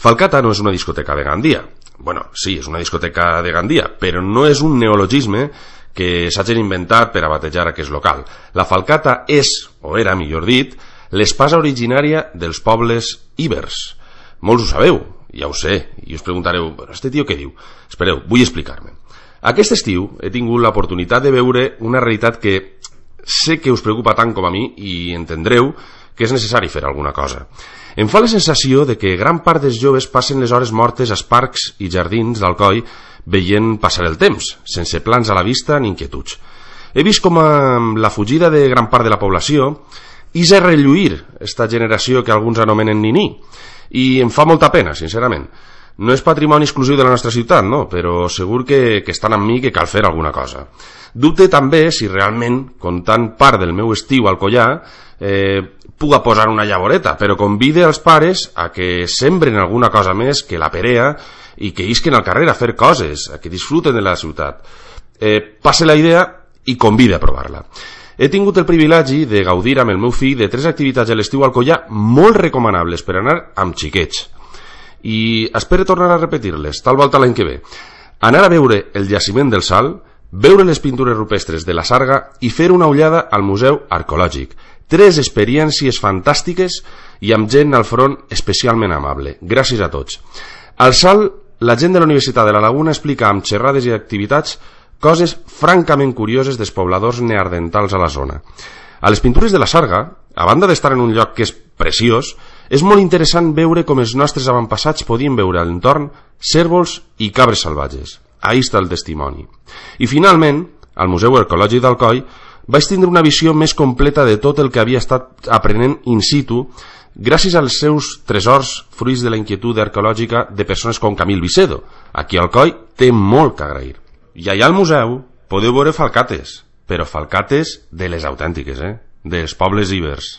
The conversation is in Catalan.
Falcata no és una discoteca de Gandia. Bueno, sí, és una discoteca de Gandia, però no és un neologisme que s'hagin inventat per a batejar aquest local. La Falcata és, o era millor dit, l'espasa originària dels pobles ibers. Molts ho sabeu, ja ho sé, i us preguntareu, però este tio què diu? Espereu, vull explicar-me. Aquest estiu he tingut l'oportunitat de veure una realitat que sé que us preocupa tant com a mi i entendreu que és necessari fer alguna cosa. Em fa la sensació de que gran part dels joves passen les hores mortes als parcs i jardins d'Alcoi veient passar el temps, sense plans a la vista ni inquietuds. He vist com amb la fugida de gran part de la població és a relluir esta generació que alguns anomenen niní, i em fa molta pena, sincerament. No és patrimoni exclusiu de la nostra ciutat, no? Però segur que estan amb mi que cal fer alguna cosa. Dubte també si realment, comptant part del meu estiu al collar, puga posar una llavoreta, però convide els pares a que sembren alguna cosa més que la perea i que isquen al carrer a fer coses, a que disfruten de la ciutat. Passe la idea i convide a provar-la. He tingut el privilegi de gaudir amb el meu fill de 3 activitats a l'estiu al collar molt recomanables per anar amb xiquets. I espero tornar a repetir-les, tal volta l'any que ve. Anar a veure el jaciment del Sal, veure les pintures rupestres de la Sarga i fer una ullada al Museu Arqueològic. 3 experiències fantàstiques i amb gent al front especialment amable. Gràcies a tots. Al Sal, la gent de la Universitat de la Laguna explica amb xerrades i activitats coses francament curioses dels pobladors neandertals a la zona. A les pintures de la Sarga, a banda d'estar en un lloc que és preciós, és molt interessant veure com els nostres avantpassats podien veure a l'entorn cérvols i cabres salvatges. Ahí està el testimoni. I finalment, al Museu Arqueològic d'Alcoi, vaig tindre una visió més completa de tot el que havia estat aprenent in situ gràcies als seus tresors fruits de la inquietud arqueològica de persones com Camil Vicedo, a qui Alcoi té molt que agrair. I allà al museu podeu veure falcates, però falcates de les autèntiques, dels pobles ibers.